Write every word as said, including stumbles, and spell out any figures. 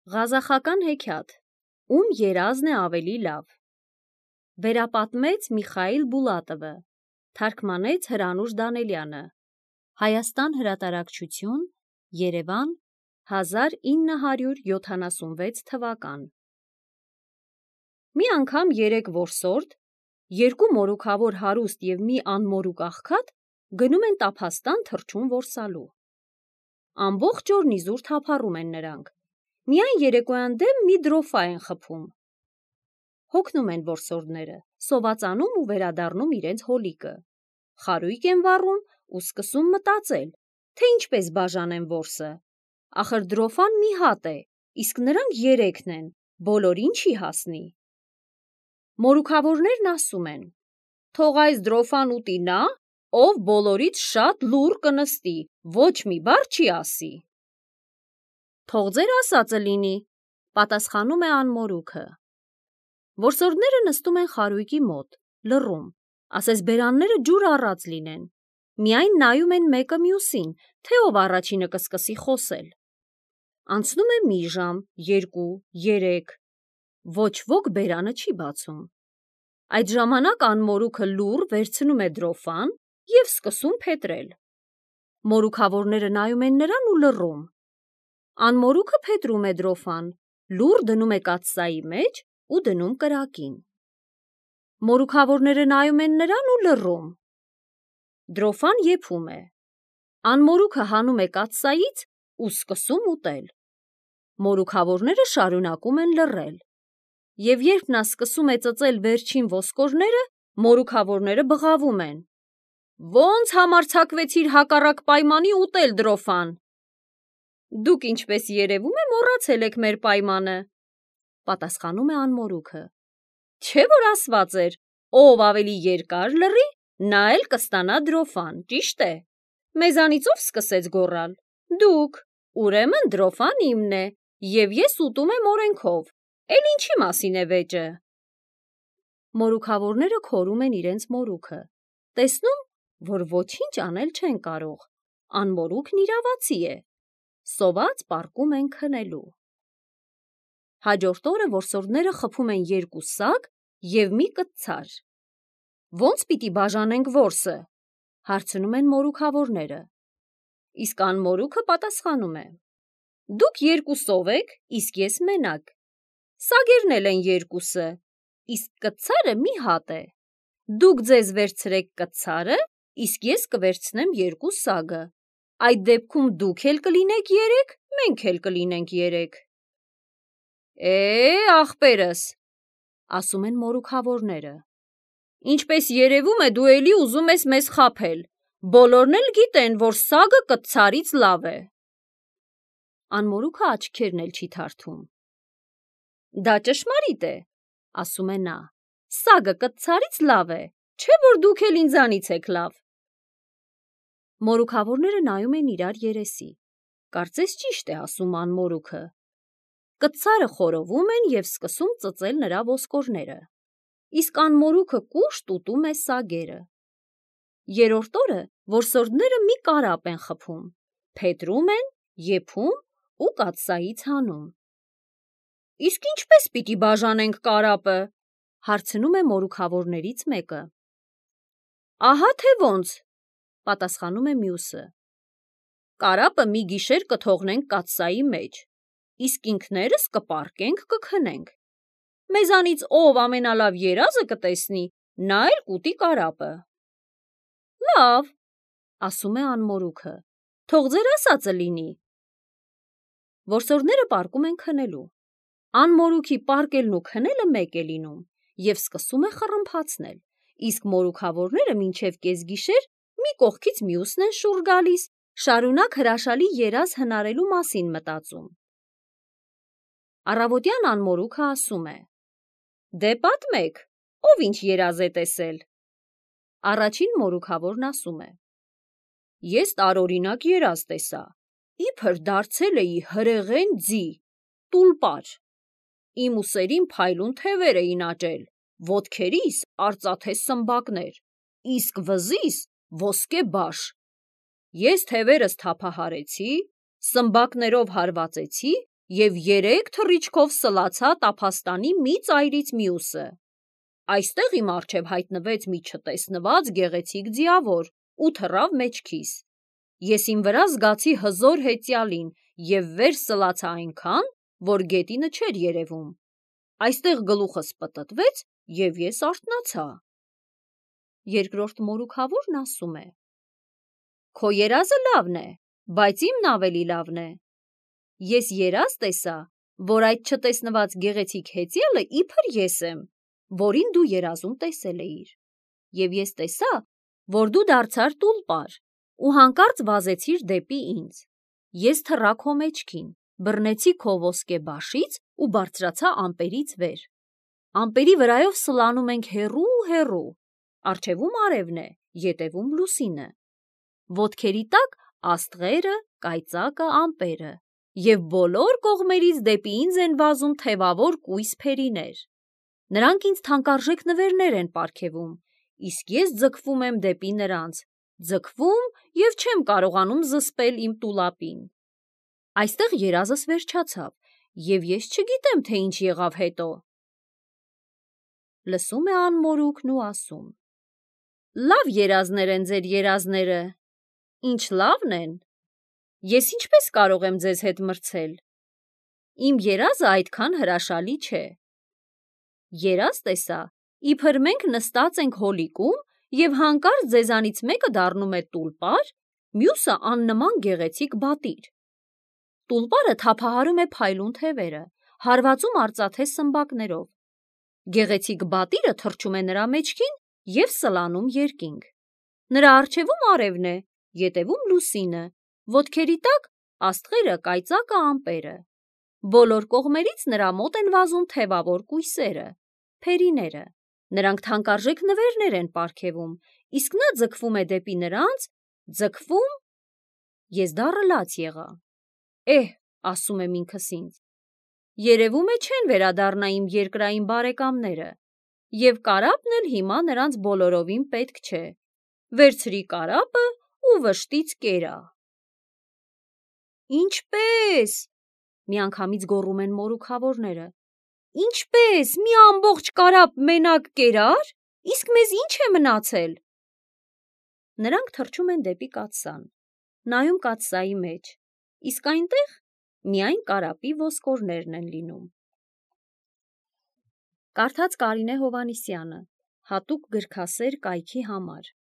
Ղազախական հեքիաթ, ում երազն է ավելի լավ։ Վերապատմեց Միխայիլ Բուլատովը, թարգմանեց Հրանուշ Դանելյանը։ Հայաստան հրատարակչություն, Երևան, հազար ինը հարյուր յոթանասունվեց թվական։ Մի անգամ երեք որսորդ, երկու մորուքավոր հարուստ և մի անմորուք աղքատ գնում են տափաստան թռչուն որսալու։ Ամբողջ օրն իզուր թափառում են նրանք, միայն երեկոյան դեմ մի դրոֆա են խփում։ Հոգնում են որսորդները, սովածանում ու վերադառնում իրենց հոլիկը։ Խարույկ են վառում ու սկսում մտածել, թե ինչպես բաժանեն որսը։ Ախր դրոֆան մի հատ է, իսկ նրանք երեքն են, բոլորին չի հասնի։ Մորուքավորներն ասում են. «Թող այս դրոֆան ուտի նա, ով բոլորից շատ լուռ կնստի, ոչ մի բառ չի ասի»։ «Թող ձեր ասածը լինի», պատասխանում է անմորուքը։ Որսորդները նստում են խարույկի մոտ, լռում, ասես բերանները ջուր առած լինեն, միայն նայում են մեկը մյուսին, թե ով առաջինը կսկսի խոսել։ Անցնում է մի ժամ, երկու, երեք, ոչ ոք բերանը չի բացում։ Այդ ժամանակ անմորուքը լուռ վերցնում է դրոֆան և սկսում փետրել։ Մորուքավորները նայում են նրան ու լռում։ Անմորուքը փետրում է դրոֆան, լուռ դնում է կաթսայի մեջ ու դնում կրակին։ Մորուքավորները նայում են նրան ու լռում։ Դրոֆան եփում է։ Անմորուքը հանում է կաթսայից ու սկսում ուտել։ Մորուքավորները շարունակում են լռել։ Եվ երբ նա սկսում է ծծել վերջին ոսկորները, մորուքավորները բղավում են. «Ո՞նց համարձակվեցիր հակառակ պայմանի ուտել դրոֆան»։ «Դուք, ինչպես երևում է, մոռացել եք մեր պայմանը», պատասխանում է անմորուքը։ «Չէ՞ որ ասված էր, ով ավելի երկար լռի, նա էլ կստանա դրոֆան, ճիշտ է։ Մեզանից ով սկսեց գոռալ։ Դուք, ուրեմն դրոֆան իմն է, և ես ուտում եմ օրենքով, էլ ինչի մասին է վեճը»։ Մորուքավորները քորում են իրենց մորուքը, տեսնում, որ ոչինչ անել չեն կարող, անմորուքն իրավացի է, սոված պառկում են քնելու։ Հաջորդ օրը որսորդները խփում են երկու սագ և մի կտցար։ «Ո՞նց պիտի բաժանենք որսը», հարցնում են մորուքավորները։ Իսկ անմորուքը պատասխանում է. «Դուք երկուսով եք, իսկ ես մենակ։ Սագերն էլ են երկուսը, իսկ կտցարը մի հատ է։ Դուք ձեզ վերցրեք կտցարը, իսկ ես կվերցնեմ երկու սագը։ Այդ դեպքում դուք էլ կլինեք երեք, մենք էլ կլինենք երեք»։ «Է, ախպերս», ասում են մորուքավորները, «ինչպես երևում է, դու էլի ուզում ես մեզ խաբել, բոլորն էլ գիտեն, որ սագը կտցարից լավ է»։ Անմորուքը աչքերն էլ չի թարթում։ «Դա ճշմարիտ է», ասում է նա, «սագը կտցարից լավ է, չէ՞ որ դուք էլ ինձանից եք լավ»։ Մորուքավորները նայում են իրար երեսի, կարծես ճիշտ է ասում անմորուքը։ Կտցարը խորովում են և սկսում ծծել նրա ոսկորները, իսկ անմորուքը կուշտ ուտում է սագերը։ Երրորդ օրը որսորդները մի կարապ են խփում, փետրում են, եփում ու կաթսայից հանում։ «Իսկ ինչպե՞ս պիտի բաժանենք կարապը», հարցնում է մորուքավորներից մեկը։ «Ահա թե ոնց», պատասխանում է մյուսը։ «Կարապը մի գիշեր կթողնենք կաթսայի մեջ, իսկ ինքներս կպառկենք, կքնենք։ Մեզանից ով ամենալավ երազը կտեսնի, նա էլ կուտի կարապը»։ «Լավ», ասում է անմորուքը, «թող ձեր ասածը լինի»։ Որսորդները պառկում են քնելու։ Անմորուքի պառկելն ու քնելը մեկ է լինում և սկսում է խռմփացնել, իսկ մորուքավորները մինչև կեսգիշեր մի կողքից մյուսն են շուռ գալիս, շարունակ հրաշալի երազ հնարելու մասին մտածում։ Առավոտյան անմորուքը ասում է. «Դե պատմեք, ով ինչ երազ է տեսել»։ Առաջին մորուքավորն ասում է. «Ես տարօրինակ երազ տեսա, իբր դարձել էի հրեղեն ձի, տուլպար։ Իմ ուսերին փայլուն թևեր էին աճել, ոտքերիս արծաթե սմբակներ, իսկ վզիս ոսկե բաշ։ Ես թևերս թափահարեցի, սմբակներով հարվածեցի և երեք թռիչքով սլացա տափաստանի մի ծայրից մյուսը։ Այստեղ իմ առջև հայտնվեց մի չտեսնված գեղեցիկ ձիավոր ու թռավ մեջքիս։ Ես իմ վրա զգացի հզոր հեծյալին և վեր սլացա այնքան, որ գետինը չէր երևում։ Այստեղ գլուխս պտտվեց և ես արթնացա։ Երկրորդ մորուքավորն ասում է. Քո երազը լավն է, բայց իմն ավելի լավն է։ Ես երազ տեսա, որ այդ չտեսնված գեղեցիկ հեծյալը իբր ես եմ, որին դու երազում տեսել էիր։ Եվ ես տեսա, որ դու դարձար տուլպար ու հանկարծ վազեցիր դեպի ինձ։ Ես թռա քո մեջքին, բռնեցի քո ոսկե բաշից ու բարձրացա ամպերից վեր։ Ամպերի վրայով սլանում ենք հեռու-հեռու, առջևում արևն է, ետևում լուսինը։ Ոտքերի տակ աստղերը, կայծակը, ամպերը, և բոլոր կողմերից դեպի ինձ են վազում թևավոր կույս փերիներ։ Նրանք ինձ թանկարժեք նվերներ են պարգևում, իսկ ես ձգվում եմ դեպի նրանց, ձգվում և չեմ կարողանում զսպել իմ տուլապին։ Այստեղ երազս վերջացավ, և ես չգիտեմ, թե ինչ եղավ հետո։ Լսում է անմորուքն ու ասում. Լավ երազներ են ձեր երազները, ինչ լավն են։ Ես ինչպես կարող եմ ձեզ հետ մրցել։ Իմ երազը այդքան հրաշալի չէ։ Երազ տեսա, իբր մենք նստած ենք հոլիկում և հանկարծ ձեզանից մեկը դառնում է տուլպար, մյուսը աննման գեղեցիկ բատիր։ Տուլպարը թափահարում է փայլուն թևերը, հարվածում արծաթե սմբակներով։ Գեղեցիկ բատիրը թռչում է նրա մեջքին և սլանում երկինք։ Նրա առջևում արևն է, ետևում լուսինը, ոտքերի տակ աստղերը, կայծակը, ամպերը։ Բոլոր կողմերից նրա մոտ են վազում թևավոր կույսերը, փերիները։ Նրանք թանկարժեք նվերներ են պարգևում, իսկ նա ձգվում է դեպի նրանց, ձգվում։ Ես դառը լաց եղա։ Էհ, ասում եմ ինքս ինձ, երևում է չեն վերադառնա իմ երկրային բարեկամները, և կարապն էլ հիմա նրանց բոլորովին պետք չէ։ Վերցրի կարապը ու վշտից կերա։ Ինչպե՞ս, միանգամից գոռում են մորուքավորները։ Ինչպե՞ս, մի ամբողջ կարապ մենակ կերա՞ր, իսկ մեզ ինչ է մնացել։ Նրանք թռչում են դեպի կաթսան, նայում կաթսայի մեջ, իսկ այնտեղ միայն կարապի ոսկորներն են լինում։ Կարդաց Կարինե Հովհաննիսյանը, հատուկ գրքասեր կայքի համար։